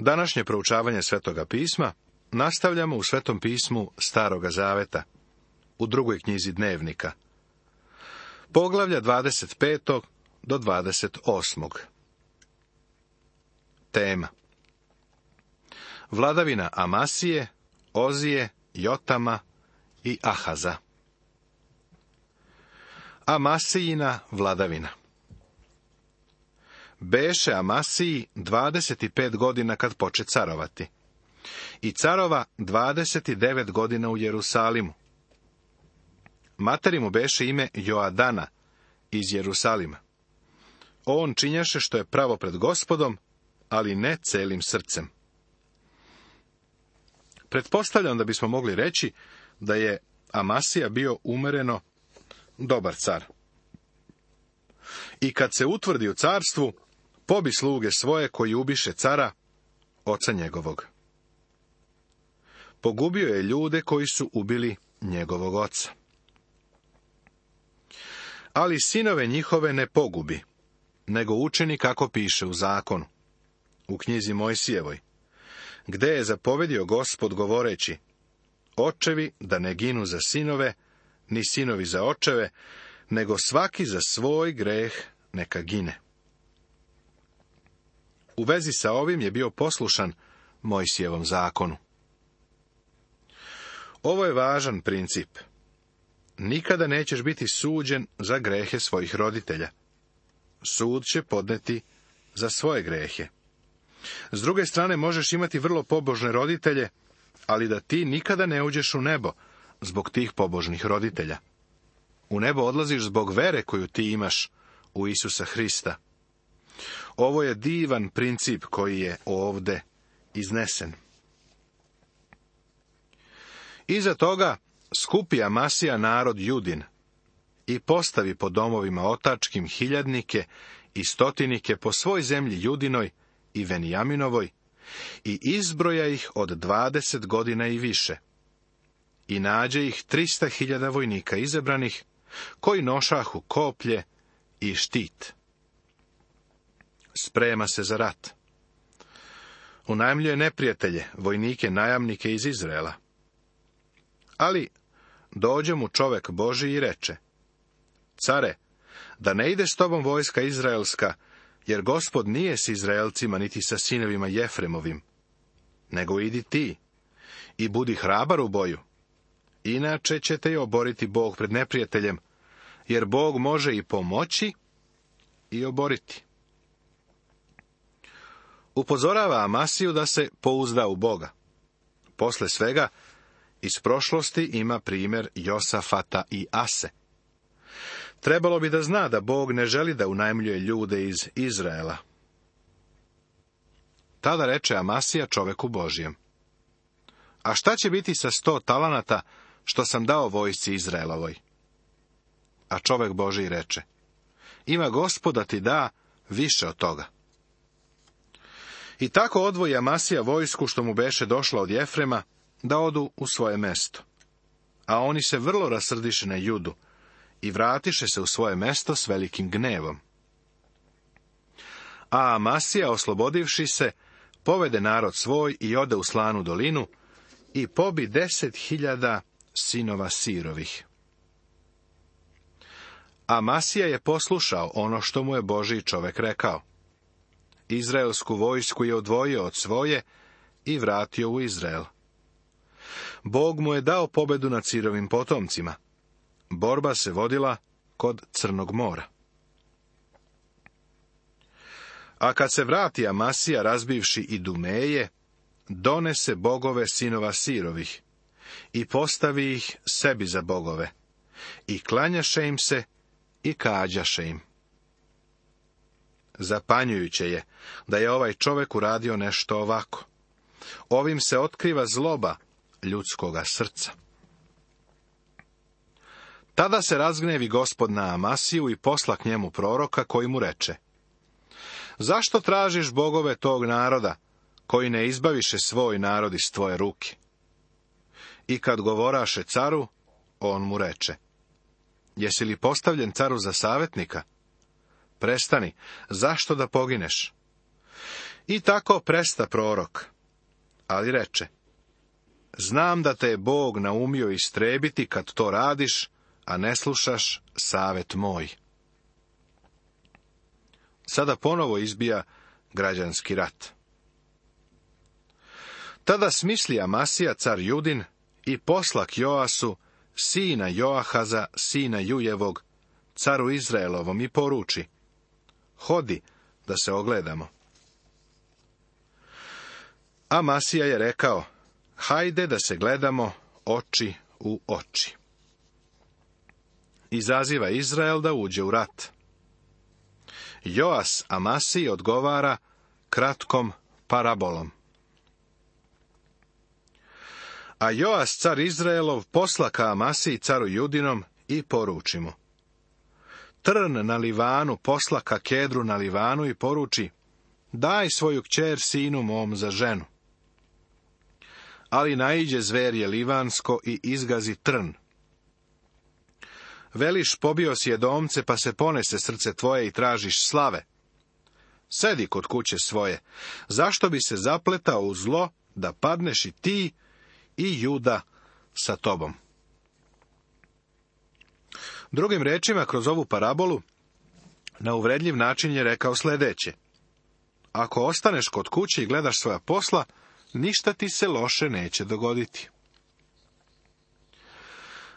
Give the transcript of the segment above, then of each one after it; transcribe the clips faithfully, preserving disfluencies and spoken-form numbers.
Današnje proučavanje Svetoga pisma nastavljamo u Svetom pismu Staroga zaveta, u drugoj knjizi Dnevnika, poglavlja dvadeset pet do dvadeset osam. Tema: vladavina Amasije, Ozije, Jotama i Ahaza. Amasijina vladavina. Beše Amasiji dvadeset pet godina kad poče carovati, i carova dvadeset devet godina u Jerusalimu. Materi mu beše ime Joadana iz Jerusalima. On činjaše što je pravo pred Gospodom, ali ne celim srcem. Pretpostavljam da bismo mogli reći da je Amasija bio umereno dobar car. I kad se utvrdi u carstvu, pobi sluge svoje koji ubiše cara, oca njegovog. Pogubio je ljude koji su ubili njegovog oca. Ali sinove njihove ne pogubi, nego učini kako piše u zakonu, u knjizi Mojsijevoj, gde je zapovedio Gospod govoreći: očevi da ne ginu za sinove, ni sinovi za očeve, nego svaki za svoj greh neka gine. U vezi sa ovim je bio poslušan Mojsijevom zakonu. Ovo je važan princip. Nikada nećeš biti suđen za grehe svojih roditelja. Sud će podneti za svoje grehe. S druge strane, možeš imati vrlo pobožne roditelje, ali da ti nikada ne uđeš u nebo zbog tih pobožnih roditelja. U nebo odlaziš zbog vere koju ti imaš u Isusa Hrista. Ovo je divan princip koji je ovde iznesen. Iza toga skupi Amasija narod Judin i postavi po domovima otačkim hiljadnike i stotinike po svoj zemlji Judinoj i Venijaminovoj i izbroja ih od dvadeset godina i više. I nađe ih trista hiljada vojnika izabranih, koji nošahu koplje i štit. Sprema se za rat. Unajmljuje neprijatelje, vojnike, najamnike iz Izraela. Ali dođe mu čovek Božji i reče: care, da ne ide s tobom vojska izraelska, jer Gospod nije s Izraelcima niti sa sinovima Jefremovim, nego idi ti i budi hrabar u boju, inače će te oboriti Bog pred neprijateljem, jer Bog može i pomoći i oboriti. Upozorava Amasiju da se pouzda u Boga. Posle svega, iz prošlosti ima primjer Josafata i Ase. Trebalo bi da zna da Bog ne želi da unajmljuje ljude iz Izraela. Tada reče Amasija čoveku Božjem: a šta će biti sa sto talanata što sam dao vojsci Izraelovoj? A čovek Božji reče: ima Gospod da ti da više od toga. I tako odvoji Amasija vojsku što mu beše došla od Jefrema, da odu u svoje mesto. A oni se vrlo rasrdiše na Judu i vratiše se u svoje mesto s velikim gnevom. A Amasija, oslobodivši se, povede narod svoj i ode u Slanu dolinu i pobi deset hiljada sinova Sirovih. Amasija je poslušao ono što mu je Božji čovek rekao. Izraelsku vojsku je odvojio od svoje i vratio u Izrael. Bog mu je dao pobedu nad Sirovim potomcima. Borba se vodila kod Crnog mora. A kad se vrati Amasija, razbivši Idumeje, donese bogove sinova Sirovih i postavi ih sebi za bogove i klanjaše im se i kađaše im. Zapanjujuće je da je ovaj čovek uradio nešto ovako. Ovim se otkriva zloba ljudskoga srca. Tada se razgnevi Gospod na Amasiju i posla k njemu proroka koji mu reče: zašto tražiš bogove tog naroda, koji ne izbaviše svoj narod iz tvoje ruke? I kad govoraše caru, on mu reče: jesi li postavljen caru za savjetnika? Prestani, zašto da pogineš? I tako presta prorok, ali reče: znam da te je Bog naumio istrebiti kad to radiš, a ne slušaš savet moj. Sada ponovo izbija građanski rat. Tada smisli Amasija, car Judin, i poslak Joasu, sina Joahaza, sina Jujevog, caru Izraelovom, i poruči: hodi da se ogledamo. Amasija je rekao: hajde da se gledamo oči u oči. Izaziva Izrael da uđe u rat. Joas Amasiji odgovara kratkom parabolom. A Joas, car Izraelov, poslaka Amasiji, caru Judinom, i poruči mu: trn na Livanu poslaka Kedru na Livanu i poruči: daj svoju kćer sinu mom za ženu. Ali naiđe zverje livansko i izgazi trn. Veliš: pobio si Edomce, pa se ponese srce tvoje i tražiš slave. Sedi kod kuće svoje, zašto bi se zapletao u zlo, da padneš i ti i Juda sa tobom. Drugim rečima, kroz ovu parabolu, na uvredljiv način je rekao sljedeće: ako ostaneš kod kuće i gledaš svoja posla, ništa ti se loše neće dogoditi.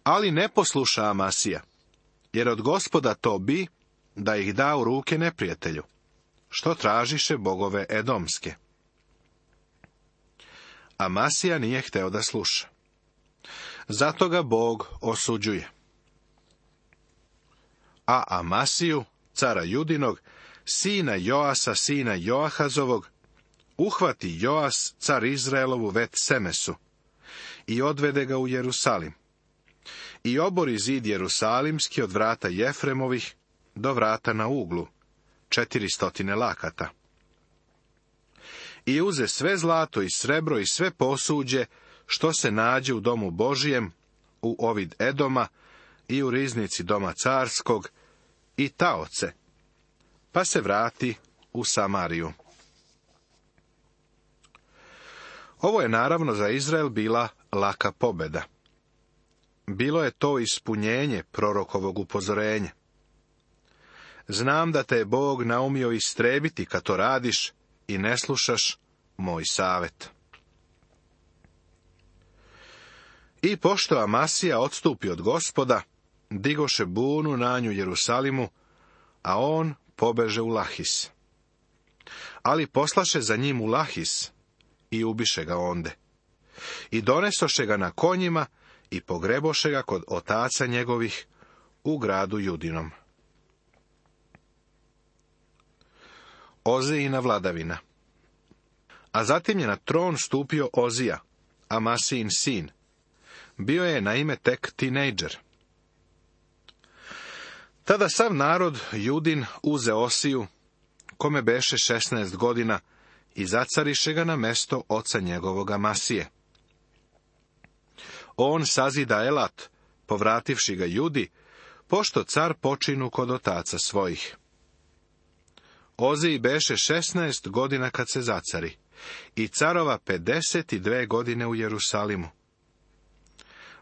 Ali ne posluša Amasija, jer od Gospoda to bi, da ih da u ruke neprijatelju, što tražiše bogove edomske. Amasija nije hteo da sluša. Zato ga Bog osuđuje. A Amasiju, cara Judinog, sina Joasa, sina Joahazovog, uhvati Joas, car Izraelovu, vet Semesu, i odvede ga u Jerusalim. I obori zid Jerusalimski od vrata Jefremovih do vrata na uglu, četiristotine lakata. I uze sve zlato i srebro i sve posuđe, što se nađe u domu Božijem, u ovid Edoma i u riznici doma carskog, i taoce, pa se vrati u Samariju. Ovo je naravno za Izrael bila laka pobjeda. Bilo je to ispunjenje prorokovog upozorenja. Znam da te je Bog naumio istrebiti kad to radiš i ne slušaš moj savet. I pošto Amasija odstupi od Gospoda, digoše bunu na nju Jerusalimu, a on pobeže u Lahis. Ali poslaše za njim u Lahis i ubiše ga onde. I donesoše ga na konjima i pogreboše ga kod otaca njegovih u gradu Judinom. Ozijina vladavina. A zatim je na tron stupio Ozija, Amasijin sin. Bio je na ime tek tinejdžer. Tada sav narod Judin uze Osiju, kome beše šesnaest godina, i zacariše ga na mesto oca njegovog Amasije. On sazida Elat, povrativši ga Judi, pošto car počinu kod otaca svojih. Oziji beše šesnaest godina kad se zacari, i carova pedeset dve godine u Jerusalimu.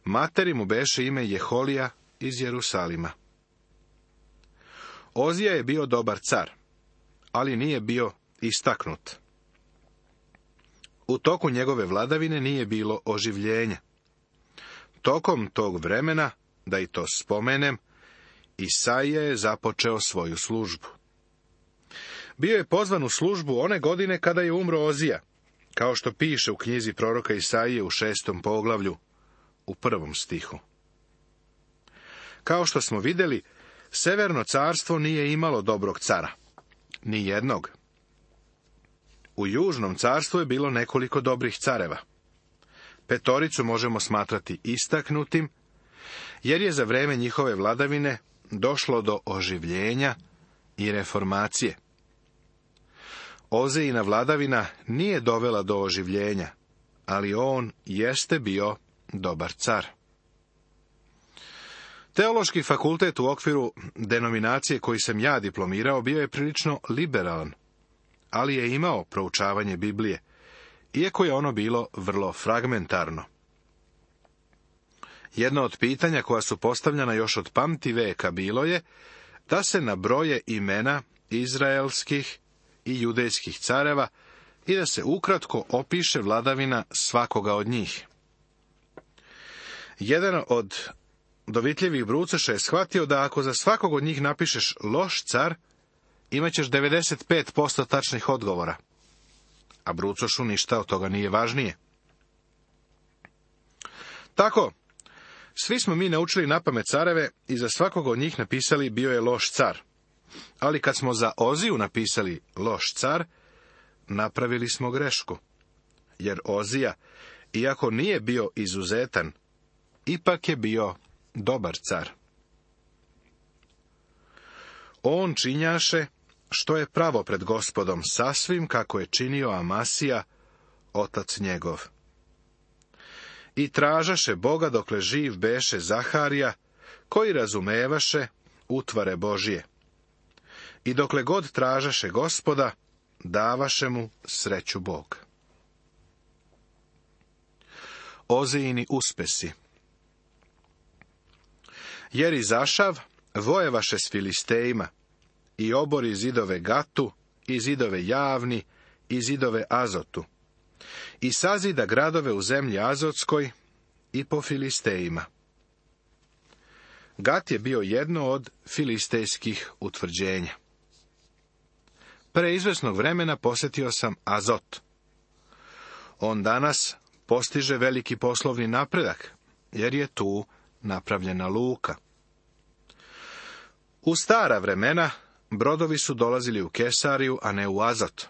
Materi mu beše ime Jeholija iz Jerusalima. Ozija je bio dobar car, ali nije bio istaknut. U toku njegove vladavine nije bilo oživljenja. Tokom tog vremena, da i to spomenem, Isaija je započeo svoju službu. Bio je pozvan u službu one godine kada je umro Ozija, kao što piše u knjizi proroka Isaije u šestom poglavlju, u prvom stihu. Kao što smo vidjeli, Severno carstvo nije imalo dobrog cara. Ni jednog. U Južnom carstvu je bilo nekoliko dobrih careva. Petoricu možemo smatrati istaknutim, jer je za vreme njihove vladavine došlo do oživljenja i reformacije. Ozijina vladavina nije dovela do oživljenja, ali on jeste bio dobar car. Teološki fakultet u okviru denominacije koji sam ja diplomirao bio je prilično liberalan, ali je imao proučavanje Biblije, iako je ono bilo vrlo fragmentarno. Jedno od pitanja koja su postavljena još od pamti veka bilo je da se nabroje imena izraelskih i judejskih careva i da se ukratko opiše vladavina svakoga od njih. Jedan od dovitljivih brucoša je shvatio da ako za svakog od njih napišeš loš car, imat ćeš devedeset pet posto tačnih odgovora, a brucošu ništa od toga nije važnije. Tako, svi smo mi naučili napamet careve i za svakog od njih napisali bio je loš car. Ali kad smo za Oziju napisali loš car, napravili smo grešku. Jer Ozija, iako nije bio izuzetan, ipak je bio dobar car. On činjaše što je pravo pred Gospodom, sasvim kako je činio Amasija, otac njegov. I tražaše Boga dokle živ beše Zaharija, koji razumevaše utvare Božije. I dokle god tražaše Gospoda, davaše mu sreću Bog. Ozijini uspesi. Jer izašav, vojevaše s Filistejima, i obori zidove Gatu, i zidove Javni, i zidove Azotu, i sazida gradove u zemlji Azotskoj i po Filistejima. Gat je bio jedno od filistejskih utvrđenja. Pre izvesnog vremena posjetio sam Azot. On danas postiže veliki poslovni napredak, jer je tu napravljena luka. U stara vremena brodovi su dolazili u Kesariju, a ne u Azot.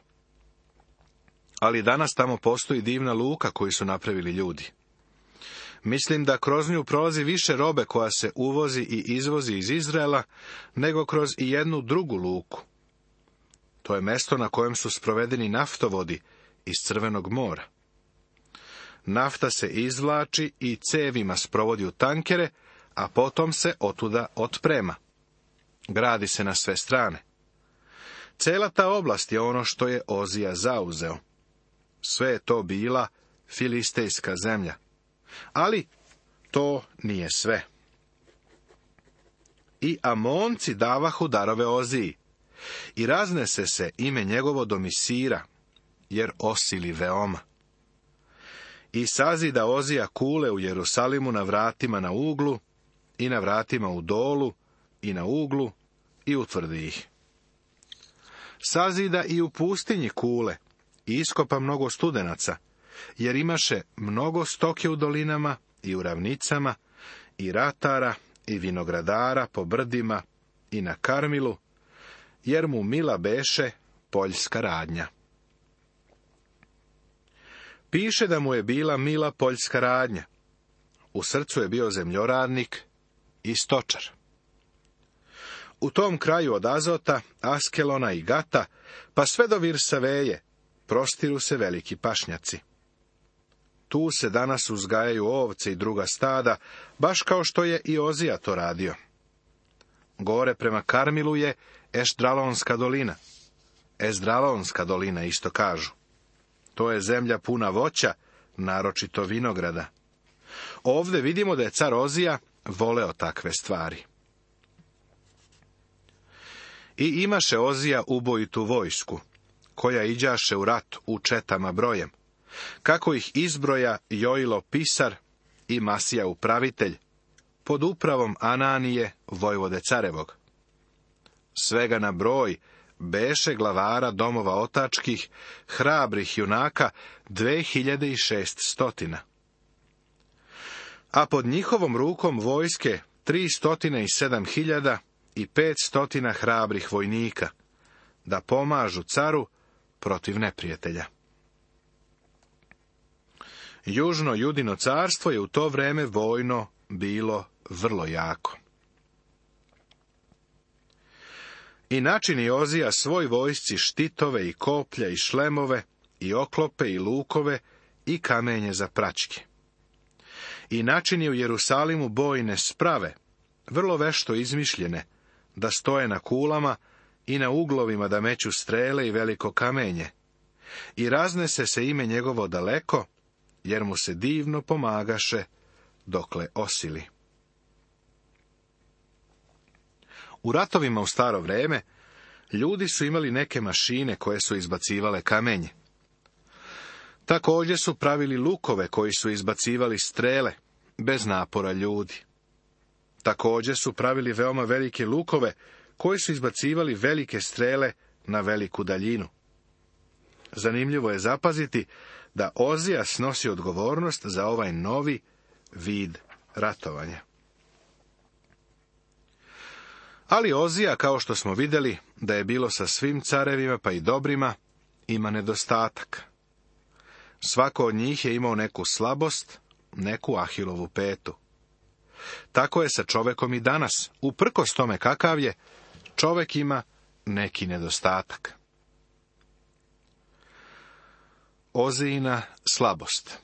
Ali danas tamo postoji divna luka koju su napravili ljudi. Mislim da kroz nju prolazi više robe koja se uvozi i izvozi iz Izraela, nego kroz i jednu drugu luku. To je mesto na kojem su sprovedeni naftovodi iz Crvenog mora. Nafta se izvlači i cevima sprovodi u tankere, a potom se otuda otprema. Gradi se na sve strane. Cela ta oblast je ono što je Ozija zauzeo. Sve je to bila filistejska zemlja. Ali to nije sve. I Amonci davahu darove Oziji, i raznese se ime njegovo do Misira, jer osili veoma. I sazida Ozija kule u Jerusalimu na vratima na uglu, i na vratima u dolu, i na uglu, i utvrdi ih. Sazida i u pustinji kule, i iskopa mnogo studenaca, jer imaše mnogo stoke u dolinama i u ravnicama, i ratara, i vinogradara po brdima, i na Karmilu, jer mu mila beše poljska radnja. Piše da mu je bila mila poljska radnja. U srcu je bio zemljoradnik i stočar. U tom kraju od Azota, Askelona i Gata, pa sve do Virsaveje, prostiru se veliki pašnjaci. Tu se danas uzgajaju ovce i druga stada, baš kao što je i Ozija to radio. Gore prema Karmilu je Ešdralonska dolina. Ezdralonska dolina isto kažu. To je zemlja puna voća, naročito vinograda. Ovdje vidimo da je car Ozija voleo takve stvari. I imaše Ozija ubojitu vojsku, koja iđaše u rat u četama brojem, kako ih izbroja Joilo pisar i Masija upravitelj, pod upravom Ananije, vojvode carevog. Svega na broj beše glavara domova otačkih, hrabrih junaka, dve hiljade i šest stotina. A pod njihovom rukom vojske tri stotine i sedam hiljada i pet stotina hrabrih vojnika, da pomažu caru protiv neprijatelja. Južno Judino carstvo je u to vreme vojno bilo vrlo jako. I načini Ozija svoj vojsci štitove i koplja i šlemove i oklope i lukove i kamenje za praćke. I načini u Jerusalimu bojne sprave, vrlo vešto izmišljene, da stoje na kulama i na uglovima da meću strele i veliko kamenje, i raznese se ime njegovo daleko, jer mu se divno pomagaše, dokle osili. U ratovima u staro vreme, ljudi su imali neke mašine koje su izbacivale kamenje. Također su pravili lukove koji su izbacivali strele, bez napora ljudi. Također su pravili veoma velike lukove koji su izbacivali velike strele na veliku daljinu. Zanimljivo je zapaziti da Ozija snosi odgovornost za ovaj novi vid ratovanja. Ali Ozija, kao što smo vidjeli, da je bilo sa svim carevima, pa i dobrima, ima nedostatak. Svako od njih je imao neku slabost, neku Ahilovu petu. Tako je sa čovekom i danas. Uprkos tome kakav je, čovek ima neki nedostatak. Ozijina slabost.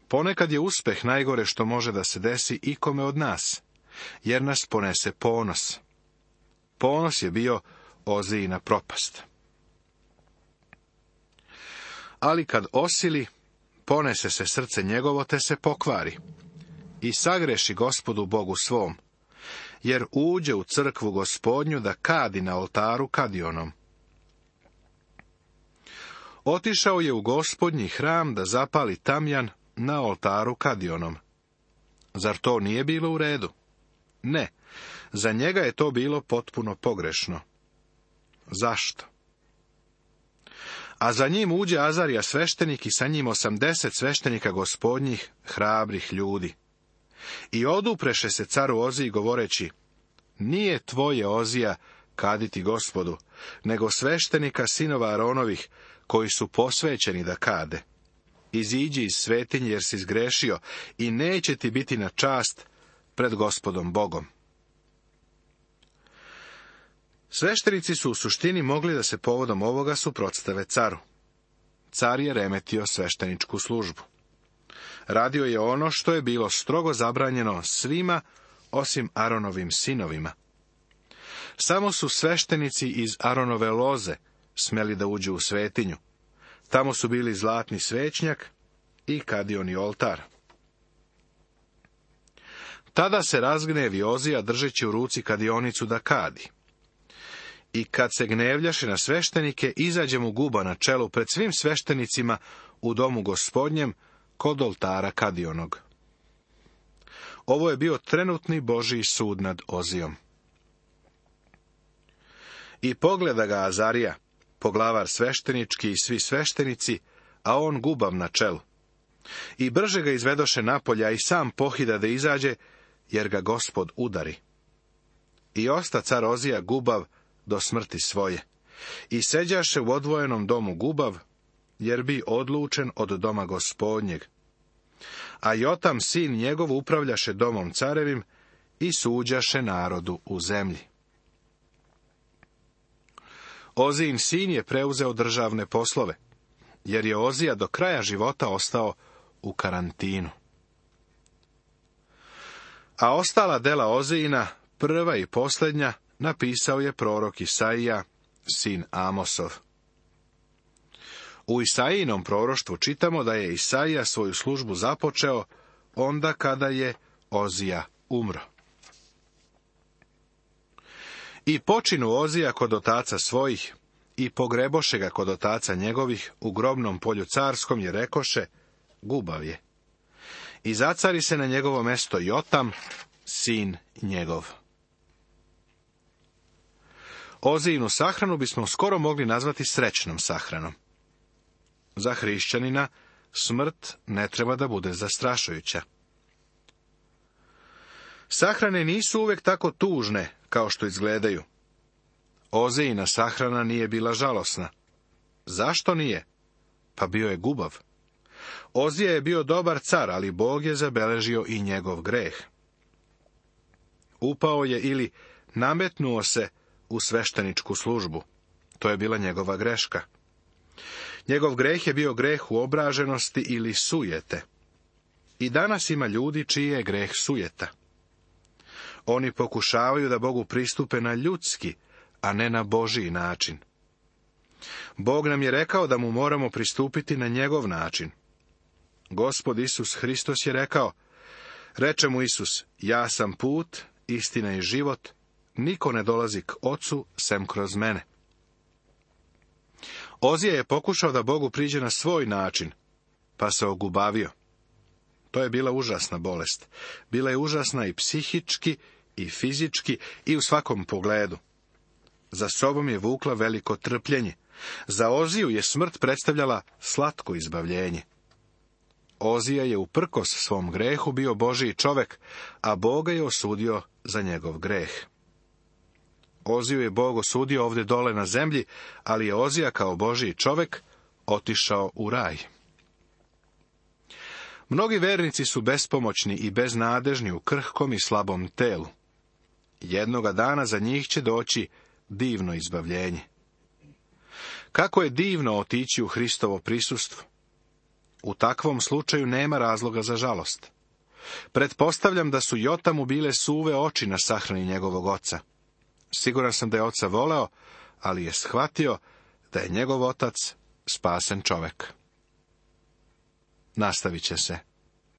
Ponekad je uspeh najgore što može da se desi ikome od nas, jer nas ponese ponos. Ponos je bio Ozijina propast. Ali kad osili, ponese se srce njegovo te se pokvari i sagreši Gospodu Bogu svom, jer uđe u crkvu Gospodnju da kadi na oltaru kadionom. Otišao je u Gospodnji hram da zapali tamjan na oltaru kadionom. Zar to nije bilo u redu? Ne, za njega je to bilo potpuno pogrešno. Zašto? A za njim uđe Azarija sveštenik i sa njim osamdeset sveštenika Gospodnjih, hrabrih ljudi. I odupreše se caru Oziji govoreći, nije tvoje, Ozija, kaditi Gospodu, nego sveštenika sinova Aronovih, koji su posvećeni da kade. Iziđi iz svetinje jer si zgrešio i neće ti biti na čast pred Gospodom Bogom. Sveštenici su u suštini mogli da se povodom ovoga suprotstave caru. Car je remetio svešteničku službu. Radio je ono što je bilo strogo zabranjeno svima osim Aronovim sinovima. Samo su sveštenici iz Aronove loze smeli da uđu u svetinju. Tamo su bili zlatni svećnjak i kadioni oltar. Tada se razgnevi Ozija držeći u ruci kadionicu da kadi. I kad se gnevljaše na sveštenike, izađe mu guba na čelu pred svim sveštenicima u domu Gospodnjem kod oltara kadionog. Ovo je bio trenutni Božji sud nad Ozijom. I pogleda ga Azarija, poglavar sveštenički i svi sveštenici, a on gubav na čelu. I brže ga izvedoše napolja i sam pohida da izađe, jer ga Gospod udari. I osta car Ozija gubav do smrti svoje. I seđaše u odvojenom domu gubav, jer bi odlučen od doma Gospodnjeg. A Jotam, sin njegov, upravljaše domom carevim i suđaše narodu u zemlji. Ozijin sin je preuzeo državne poslove, jer je Ozija do kraja života ostao u karantinu. A ostala dela Ozijina, prva i posljednja, napisao je prorok Isaija, sin Amosov. U Isaijinom proroštvu čitamo da je Isaija svoju službu započeo onda kada je Ozija umro. I počinu Ozija kod otaca svojih, i pogreboše ga kod otaca njegovih u grobnom polju carskom, jer rekoše, gubav je. I zacari se na njegovo mesto Jotam, sin njegov. Ozijinu sahranu bismo skoro mogli nazvati srećnom sahranom. Za hrišćanina smrt ne treba da bude zastrašujuća. Sahrane nisu uvek tako tužne kao što izgledaju. Ozijina sahrana nije bila žalosna. Zašto nije? Pa bio je gubav. Ozija je bio dobar car, ali Bog je zabeležio i njegov greh. Upao je ili nametnuo se u svešteničku službu. To je bila njegova greška. Njegov greh je bio greh uobraženosti ili sujete. I danas ima ljudi čiji je greh sujeta. Oni pokušavaju da Bogu pristupe na ljudski, a ne na Božiji način. Bog nam je rekao da mu moramo pristupiti na njegov način. Gospod Isus Hristos je rekao, reče mu Isus, ja sam put, istina i život, niko ne dolazi k Ocu sem kroz mene. Ozija je pokušao da Bogu priđe na svoj način, pa se ogubavio. To je bila užasna bolest. Bila je užasna i psihički, i fizički, i u svakom pogledu. Za sobom je vukla veliko trpljenje. Za Oziju je smrt predstavljala slatko izbavljenje. Ozija je uprkos svom grehu bio Božiji čovek, a Boga je osudio za njegov greh. Oziju je Bog osudio ovdje dole na zemlji, ali je Ozija kao Božiji čovek otišao u raj. Mnogi vernici su bespomoćni i beznadežni u krhkom i slabom telu. Jednoga dana za njih će doći divno izbavljenje. Kako je divno otići u Hristovo prisustvo. U takvom slučaju nema razloga za žalost. Pretpostavljam da su Jotamu bile suve oči na sahrani njegovog oca. Siguran sam da je oca voleo, ali je shvatio da je njegov otac spasen čovek. Nastavit će se.